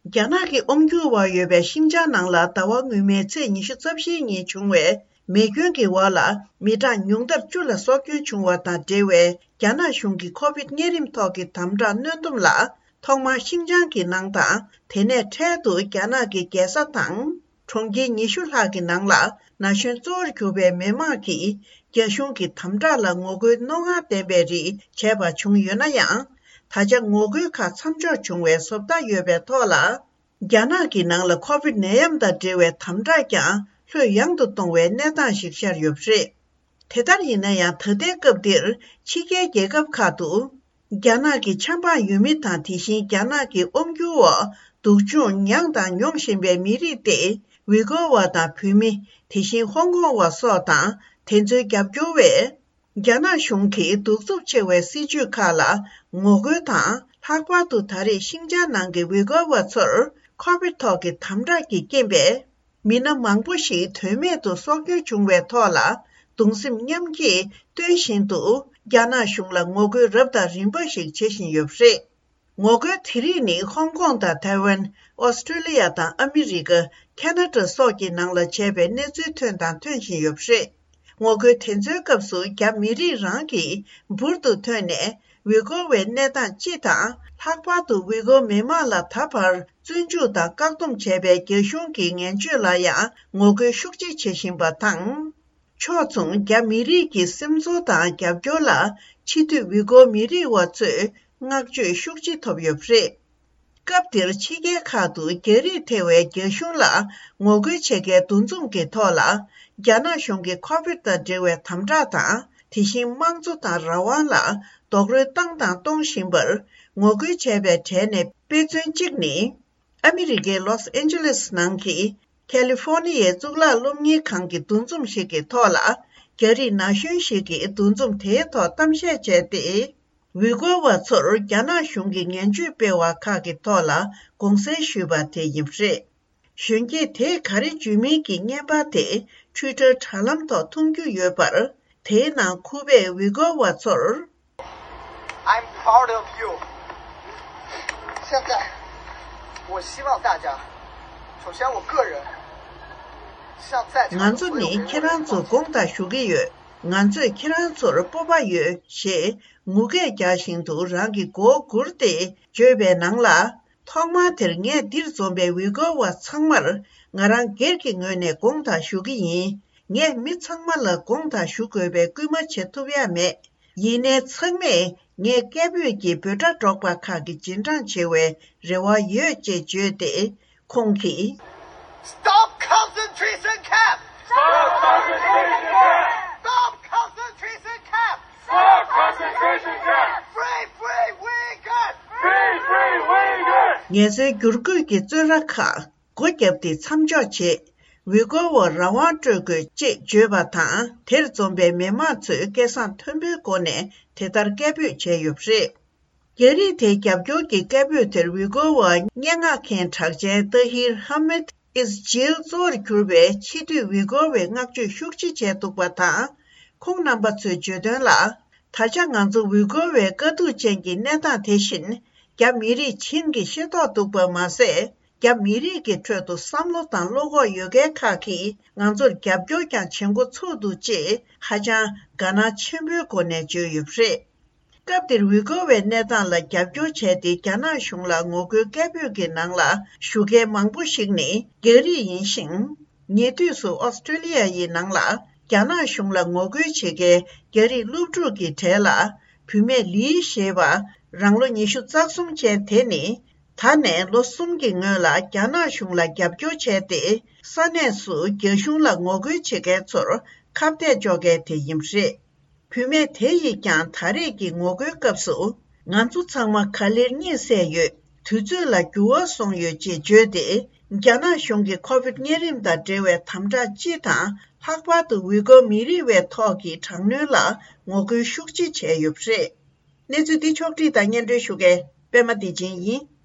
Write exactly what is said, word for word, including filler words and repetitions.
རྒྱ་ནག་གི་དབང་སྒྱུར་འོག་ཡོད་པའི་ཤིང་ཅང་ནང་ལ་ཟླ་བ་སྔོན་མའི་ཚེས་ཉི་ཤུ་རྩ་བཞིའི་ཉིན་བྱུང་བའི་མེ་སྐྱོན་གྱི་འོག་ལ་མི་གྲངས་ཉུང་མཐར་བཅུ་ལ་སྲོག་སྐྱོན་བྱུང་བ་དང་འབྲེལ་བའི་རྒྱ་ནག་གཞུང་གི་ཁོ་བིད་གཉན་རིམས་ཐོག་གི་དམ་དྲག་གནོན་སྡོམ་ལ། ཐོག་མར་ཤིང་ཅང་གི་ནང་དང་། དེ་ནས་འཕྲལ་དུ་རྒྱ་ནག་གི་རྒྱལ་ས་དང་། གྲོང་ཁྱེར་ཉི་ཤུ་ལྷག་གི་ནང་ལ་ན་གཞོན་གཙོ་བོར་གྱུར་པའི་མི་མང་གིས་རྒྱ་གཞུང་གི་དམ་དྲག་ལ་ངོ་རྒོལ་རྣོ་ངར་ལྡན་པའི་རིགས་བྱས་པ་བྱུང་ཡོད་ན་ཡང་། ད་ཆ་ངོ་རྒོལ་ཁག་མཚམས་འཇོག་བྱུང་བའི་བཟོ་ལྟ་ཡོད་པའི་ཐོག་ལ། རྒྱ་ནག་གི་ནང་ལ་ཁོ་བིད་ནད་ཡམས་དང་འབྲེལ་བའི་དམ་དྲག་ཀྱང་ལྷོད་ཡངས་དུ་གཏོང་བའི་གནས་སྟངས་ཤིག་ཤར་ཡོད་པ་རེད། དེ་ལྟར་ཡིན་ན་ཡང་ད་ལྟའི་སྐབས་འདིར་ཕྱི་རྒྱལ་རྒྱལ་ཁབ་ཁག་ཏུ། རྒྱ་ནག་གི་ཆབ་འབངས་ཡུལ་མི་དང་དེ་བཞིན་རྒྱ་ནག་གི་དབང་སྒྱུར་འོག་སྡུག་སྦྱོང་མྱངས་དང་མྱོང་བཞིན་པའི་མི་རིགས་ཏེ། ཝི་གོ་བ་དང་བོད་མི། དེ་བཞིན་ཧོང་ཀོང་བ་སོགས་དང་དེ་ཚོའི་རྒྱབ་སྐྱོར་བས། རྒྱ་ནག་གཞུང་གིས་གདུག་རྩུབ་ཆེ་བའི་སྲིད་བྱུས་ཁག་ལ་ངོ་རྒོལ་དང་། ལྷག་པར་དུ་ད་རེས་ཤིང་ཅང་ནང་གི་ཝི་གོ་བ་ཚོར་ཁོ་བིད་ཐོག་གི་དམ་དྲག་གི་རྐྱེན་པས། མི་སྣ་མང་པོ་ཞིག་དོན་མེད་དུ་སྲོག་སྐྱོན་བྱུང་བའི་ཐོག་ལ། གདུང་སེམས་མཉམ་སྐྱེད་སྟོན་བཞིན་དུ། རྒྱ་ནག་གཞུང་ལ་ངོ་རྒོལ་རབ་དང་རིམ་པ་ཞིག་བྱེད་བཞིན་ཡོད་པ་རེད། ངོ་རྒོལ་དེ་རིགས་ནི་ཧོང་ཀོང་དང་ཐའེ་ཝན། ཨོ་སི་ཀྲོ་ལི་ཡ་དང་ཨ་མི་རི་ཀ། ཁ་ན་ཌ་སོགས་ཀྱི་ནང་ལ་བྱས་པའི་གནས་ཚུལ་ཐོན་དང་ཐོན་བཞིན་ཡོད་པ་རེད། ངོ་རྒོལ་དེ་ཚོའི་སྐབས་སུ་རྒྱ་མི་རིགས་རང་གིས་འབུར་དུ་ཐོན་ནས། ཝི་གོ་བའི་གནས་སྟངས་སྤྱི་དང་། ལྷག་པར་དུ་ཝི་གོ་མི་མང་ལ་ད་བར་བཙོན་འཇུག་དང་བཀག་སྡོམ་བྱས་པའི་རྒྱ་གཞུང་གི་ངན་སྤྱོད་ལ་ཡང་ངོ་རྒོལ་ཤུགས་ཆེ་བྱེད་བཞིན་པ་དང་། ཕྱོགས་མཚུངས་རྒྱ་མི་རིགས་ཀྱི་སེམས་ཚོར་དང་རྒྱབ་སྐྱོར་ལ། ཕྱི་སྡོད་ཝི་གོ་མི་རིགས་བ་ཚོས་བསྔགས་བརྗོད་ཤུགས་ཆེ་ཐོབ་ཡོད་པ་རེད། སྐབས་དེར་ཕྱི་རྒྱལ་ཁག་ཏུ་རྒྱ་རིགས་ཐེ་བའི་རྒྱ་གཞུང་ལ་ངོ་རྒོལ་བྱེད་མཁན་འདུ་འཛོམས་ཀྱི་ཐོག་ལ། རྒྱ་ནག་གཞུང་གིས་ཁོ་བིད་དང་འབྲེལ་བའི་དམ་དྲག་དང་། དེ་བཞིན་དམངས་གཙོ་དང་རང་དབང་ལ་རྡོག་རོལ་བཏང་དང་གཏོང་བཞིན་པར་ངོ་རྒོལ་བྱས་པའི་གྲས་ནས་དཔེ་མཚོན་གཅིག་ནི། ཨ་མི་རི་ཀའི་ལོས་ཨན་ཇེ་ལེས་ནང་གི་ཁ་ལི་ཧྥོ་ནི་ཡའི་གཙུག་ལག་སློབ་གཉེར་ཁང་གི་འདུ་འཛོམས་ཤིག་གི་ཐོག་ལ། རྒྱ་རིགས་ན་གཞོན་ཞིག་གིས་འདུ་འཛོམས་དེའི་ཐོག་གཏམ་བཤད་བྱས་ཏེ། ཝི་གོ་བ་ཚོར་རྒྱ་ནག་གཞུང་གིས་ངན་བྱུས་སྤེལ་བ་ཁག་གི་ཐོག་ལ་དགོངས་སེལ་ཞུས་པ་དེ་ཡིན་པ་རེད། གཞོན་སྐྱེས་དེས་ག་རེ་བརྗོད་མིན་གྱི་བརྙན་པར་དེ་ཊུའི་ཊར་དྲ་ལམ་ཐོག་མཐོང་རྒྱུ་ཡོད་པར། དེའི་ནང་ཁུ་པས་ཝི་གོ་བ་ཚོར། I'm proud of you. 现在，我希望大家，首先我个人，向在场的所有人，ང་ཚོ་ནི་ཁྱེད་རང་ཚོར་དགོངས་དག་ཞུ་གི་ཡོད། ང་ཚོས་ཁྱེད་རང་ཚོར་སྤོབས་པ་ཡོད་ཞེས་ངུ་སྐད་རྒྱག་བཞིན་དུ་རང་གི་མགོ་བོ་སྒུར་ཏེ་བརྗོད་པའི་ནང་ལ། ཐོག་མར་དེར་ངས་འདིར་འཛོམས་པའི་ཝི་གོ་བ་ཚང་མར་ང་རང་སྒེར་གྱི་ངོས་ནས་དགོངས་དག་ཞུ་གི་ཡིན། ངས་མི་ཚང་མ་ལ་དགོངས་དག་ཞུ་དགོས་པའི་སྐུལ་མ་བྱེད་ཐུབ་ཡ་མེད། ཡིན་ནའི་ཚང་མས་ངས་སྐད་འབོད་ཀྱི་འབོད་སྒྲ་སྒྲོག་པ་ཁག་གི་རྗེས་འབྲང་བྱེད་པའི་རེ་བ་ཡོད་ཅེས་བརྗོད་དེ། ཁོང་གིས། Stop concentration camp! Stop concentration camp! Stop concentration camp! Stop concentration camp! Free, free Uyghurs! Free, free Uyghurs! ངལ་རྩོལ་བསྒྱུར་བཀོད་ཀྱི་བཙོན་ར་ཁག་སྒོ་བརྒྱབ་སྟེ་མཚམས་འཇོག་བྱེད། ཝི་གོ་བར་རང་དབང་སྤྲོད་དགོས་ཅེས་བརྗོད་པ་དང་། དེར་འཛོམས་པའི་མི་མང་ཚོས་སྐད་གསང་མཐོན་པོའི་སྒོ་ནས་དེ་ལྟར་སྐད་འབོད་བྱས་ཡོད་པ་རེད། རྒྱ་རིགས་དེའི་རྒྱབ་སྐྱོར་གྱི་སྐད་འབོད་དེར་ཝི་གོ་བ་སྙན་ངག་མཁན་གྲགས་ཅན་ཏཱ་ཧིར་ཧ་མེད་ཨིས་ཇིལ་གཙོ་བོར་གྱུར་པའི་ཕྱི་སྡོད་ཝི་གོ་བས་བསྔགས་བརྗོད་ཤུགས་ཆེ་བྱས་འདུག་པ་དང་། ཁོང་རྣམ་པ་ཚོས་བརྗོད་དོན་ལ། ད་ཆ་ང་ཚོ་ཝི་གོ་བའི་དཀའ་སྡུག་ཅན་གྱི་གནས་སྟངས་དེ་བཞིན་རྒྱ་མི་རིགས་བྱིངས་ཀྱིས་ཤེས་རྟོགས་འདུག་པ་མ་ཟད། རྒྱ་མི་རིགས་ཀྱི་ཁྲོད་དུ་བསམ་བློ་དང་བློ་ཁོག་ཡོད་མཁན་ཁག་གིས་ང་ཚོར་རྒྱབ་སྐྱོར་ཀྱང་བྱེད་འགོ་ཚུགས་འདུག་ཅེས་ཧ་ཅང་དགའ་སྣང་ཆེན་པོའི་སྒོ་ནས་བརྗོད་ཡོད་པ་རེད། སྐབས་དེར་ཝི་གོ་བའི་གནས་སྟངས་ལ་རྒྱབ་སྐྱོར་བྱས་ཏེ་རྒྱ་ནག་གཞུང་ལ་ངོ་རྒོལ་སྐད་འབོད་ཀྱི་ནང་ལ་ཞུགས་མཁན་མང་པོ་ཞིག་ནི་རྒྱ་རིགས་ཡིན་ཞིང་། ཉེ་དུས་སུ་ཨོ་སི་ཀྲོ་ལི་ཡ་ཡི་ནང་ལ་རྒྱ་ནག་གཞུང་ལ་ངོ་རྒོལ་བྱེད་མཁན་རྒྱ་རིགས་སློབ་ཕྲུག་གི་གྲས་ལ་བུད་མེད་ལི་ཞེས་པ་རང་ལོ་ཉི་ཤུ་རྩ་གསུམ་ཅན་དེ་ནི། ད་ནས་ལོ་གསུམ་གྱི་སྔོན་ལ་རྒྱ་ནག་གཞུང་ལ་རྒྱབ་སྐྱོར་བྱས་ཏེ། ས་གནས་སུ་རྒྱ་གཞུང་ལ་ངོ་རྒོལ་བྱེད་མཁན་ཚོར་ཁ་གཏད་གཅོག་མཁན་དེ་ཡིན་པ་རེད། བུད་མེད་དེ་ཡིས་ཀྱང་ད་རེས་ཀྱི་ངོ་རྒོལ་སྐབས་སུ། ང་ཚོ་ཚང་མ་ག་ལེར་གཉིད་སད་ཡོད། དུས་ཚོད་ལ་འགྱུར་བ་སོང་ཡོད་ཅེས་བརྗོད་དེ། རྒྱ་ནག་གཞུང་གིས་ཁོ་བིད་གཉན་རིམས་དང་འབྲེལ་བའི་དམ་དྲག་སྤྱི་དང་། ལྷག་པར་དུ་ཝི་གོ་མི་རིགས་པའི་ཐོག་གི་དྲག་གནོན་ལ་ངོ་རྒོལ་ཤུགས་ཆེ་བྱས་ཡོད་པ་རེད། གནས་ཚུལ་འདི་ཕྱོགས་བསྒྲིགས་དང་སྙན་སྒྲོན་ཞུ་མཁན་པད་མ་བདེ་ཆེན་ཡིན།